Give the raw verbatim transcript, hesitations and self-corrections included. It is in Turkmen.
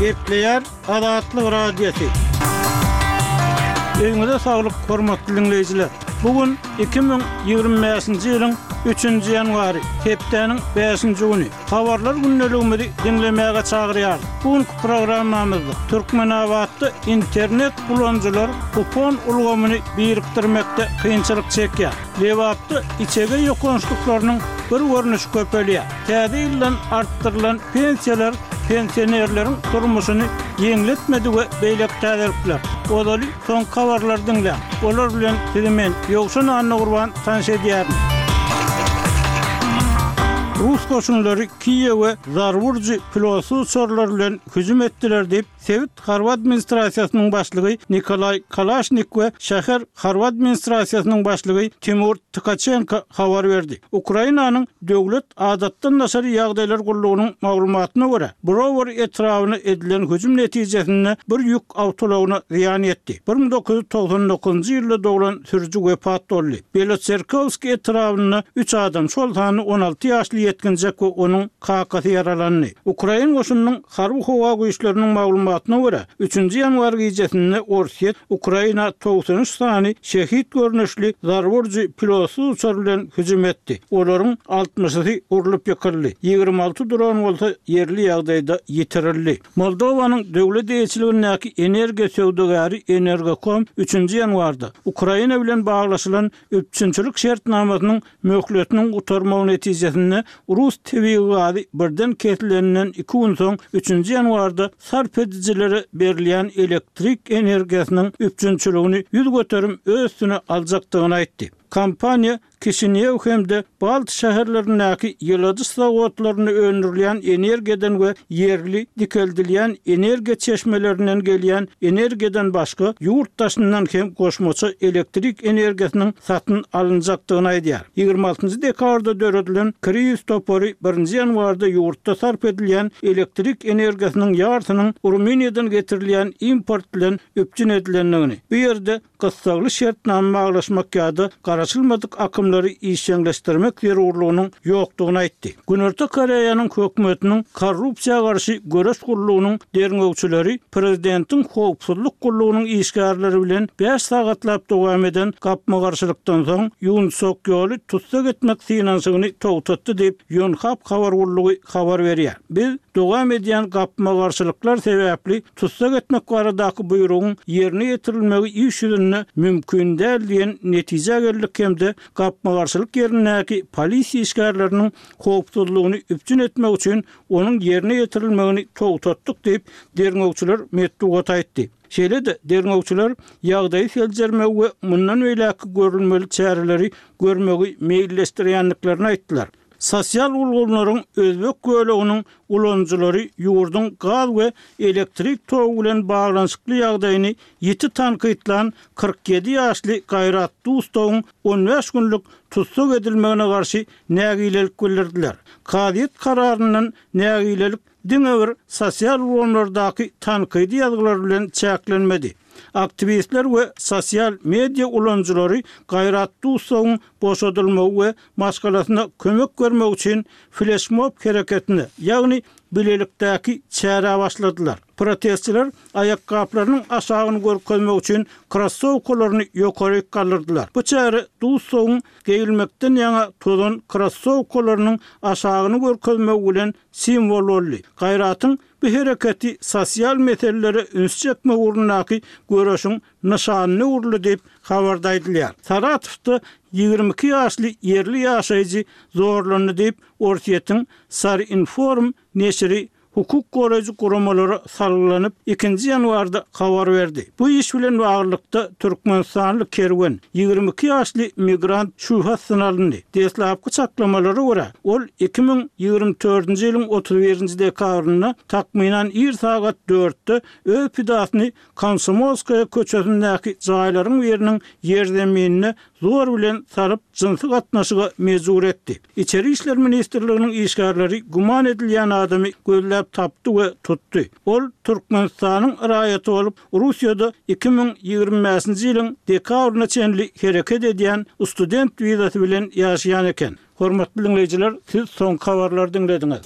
Gepleýär Azatlyk Radiosy. Öýüňize saglyk, hormatly diňleýjiler! Bu gün iki müň ýigrimi bäşinji ýylyň üçünji ýanwary, hepdäniň bäşinji güni. Habarlar gündeligimizi diňlemäge çagyrýarys. Bu günki programmamyzda Türkmenabatda internet ulanyjylar kupon ulgamyny birikdirmekde kynçylyk çekýär. Lebapda içege ýokançlyklarynyň bir görnüşi köpelýär. Täze ýyldan artdyrylan pensiýalar pensionerleriň durmuşyny ýeňletmedi we beýleki täzelikler. Ozaly soňky habarlary diňläň. Olar bilen sizi men, Ýowşan Annagurban tanyş edýärin. Rus goşunlary Kiýewe zarba urujy pilotsyz uçarlar bilen hüjüm etdiler diýip, sebit harby administrasiýasynyň başlygy Nikolaý Kalaşnik we şäher harby administrasiýasynyň başlygy Timur Tkaçenko habar berdi. Ukrainanyň Döwlet adatdan daşary ýagdaýlar gullugynyň maglumatyna görä, Browary etrabyna edilen hüjüm netijesinde bir ýük awtoulagyna zyýan ýetdi. Bir müň dokuz ýüz togsan dokuzynjy ýylda doglan sürüji wepat boldy. Belotserkowskiý etrabynda üç adam, şol sanda on alty ýaşly ýetginjek we onuň kakasy ýaralandy. Ukrain goşunynyň Harby-howa güýçleriniň maglumatyna görä, üçünji ýanwar gijesinde Orsýet Ukraina togsan üç sany Şehit görnüşli zarba urujy pilotsyz uçar bilen hüjüm etdi. Olaryň altmyşysy urlup ýykyldy, ýigrimi alty dron bolsa ýerli ýagdaýda ýitirildi. Moldowanyň döwlet eýeçiligindäki energiýa söwdagäri Energocom üçünji ýanwarda Ukraina bilen baglaşylan üpjünçilik şertnamasynyň möhletiniň gutarmagy netijesinde rus tebigy gazy birden kesileninden iki gün soň, üçünji ýanwarda sarp edijilere berilýän elektrik energiýasynyň üpjünçiligini ýüz göterim öz üstüne aljakdygyny aýtdy. Kompaniýa Kişinýew hem-de Balt şäherlerindäki ýyladyş zawodlarynda öndürilýän energiýadan we ýerli dikeldilýän energiýa çeşmelerinden gelýän energiýadan başga ýurt daşyndan hem goşmaça elektrik energiýasynyň satyn alynjakdygyny aýdýar. Ýigrimi altynjy dekabrda döredilen krizis topary birinji ýanwarda ýurtda sarp edilýän elektrik energiýasynyň ýarsynyň Rumyniýadan getirilýän import bilen üpjün edilendigini, bu ýerde gyssagly şertnama baglaşmak ýa-da garaşylmadyk akymlary işjeňleşdirmek zerurlygynyň ýokdugyny aýtdy. Günorta Koreýanyň hökümetiniň korrupsiýa garşy göreş gullugynyň derňewçileri prezidentiň howpsuzlyk gullugynyň işgärleri bilen bäş sagatlap dowam eden gapma-garşylykdan soň Ýun Sok Ýoly tussag etmek synanyşygyny togtatdy diýip, Ýonhap habar gullugy habar berýär. Biz dowam edýän gapma-garşylyklar sebäpli tussag etmek baradaky buýrugyň ýerine ýetirilmegi iş ýüzünde mümkin däl diýen netijä geldik hem-de gapma-garşylyk ýerindäki polisiýa işgärleriniň howpsuzlygyny üpjün etmek üçin onuň ýerine ýetirilmegini togtatdyk diýip, derňewçiler metbugata aýtdy. Şeýle-de, derňewçiler ýagdaýy seljermegi we mundan beýläkki görülmeli çäreleri görmegi meýilleşdirýändiklerini aýtdylar. Sosial ulgamlaryň özbek böleginiň ulanyjylary ýurduň gaz we elektrik togy bilen baglanyşykly ýagdaýyny ýiti tankytlan kyrk ýedi ýaşly Gaýrat Dustowyň on bäş günlük tussag edilmegine garşy nägilelik bildirdiler. Kazyýet kararyndan nägilelik diňe bir sosial ulgamlardaky tankydy ýazgylar bilen çäklenmedi. Aktiwistler we sosial media ulanyjylary Gaýrat Dusowyň boşadylmagy we maşgalasyna kömek bermek üçin fleşmob hereketine, ýagny bilelikdäki çärä başladylar. Protestçiler aýakgaplarynyň aşagyny görkezmek üçin krossowkalaryny ýokaryk galdyrdylar. Bu çäre Dusowyň geýilmekden ýaňa tozan krossowkalarynyň aşagyny görkezmegi bilen simwol boldy. Gaýratyň bu hereketi sosial meselelere üns çekmek ugrundaky göreşiň nyşanyna öwrüldi diýip, habarda aýdylýar. Saratowda ýigrimi iki ýaşly ýerli ýaşaýjy zorlandy diýip, Orsýetiň Sarinform neşiri hukuk goraýjy guramalara salgylanyp, ikinji ýanwarda habar berdi. Bu iş bilen baglylykda, türkmenistanly Kerwen, ýigrimi iki ýaşly migrant şübhe astyna alyndy. Deslapky çaklamalara görä, ol iki müň ýigrimi dördünji ýylyň otuz birinji dekabrynda takmynan ir sagat dörtde öz pidasyny Komsomolskaýa köçesindäki jaýlaryň biriniň ýerzeminine zor bilen salyp, jynsy gatnaşyga mejbur etdi. Içeri işler ministrliginiň işgärleri güman edilýän adamy gözläp tapdy we tutdy. Ol Türkmenistanyň raýaty bolup, Russiýada iki müň ýigrimi bäşinji ýylyň dekabryna çenli hereket edýän student wizasy bilen ýaşaýan eken. Hormatly diňleýjiler, siz soňky habarlary diňlediňiz.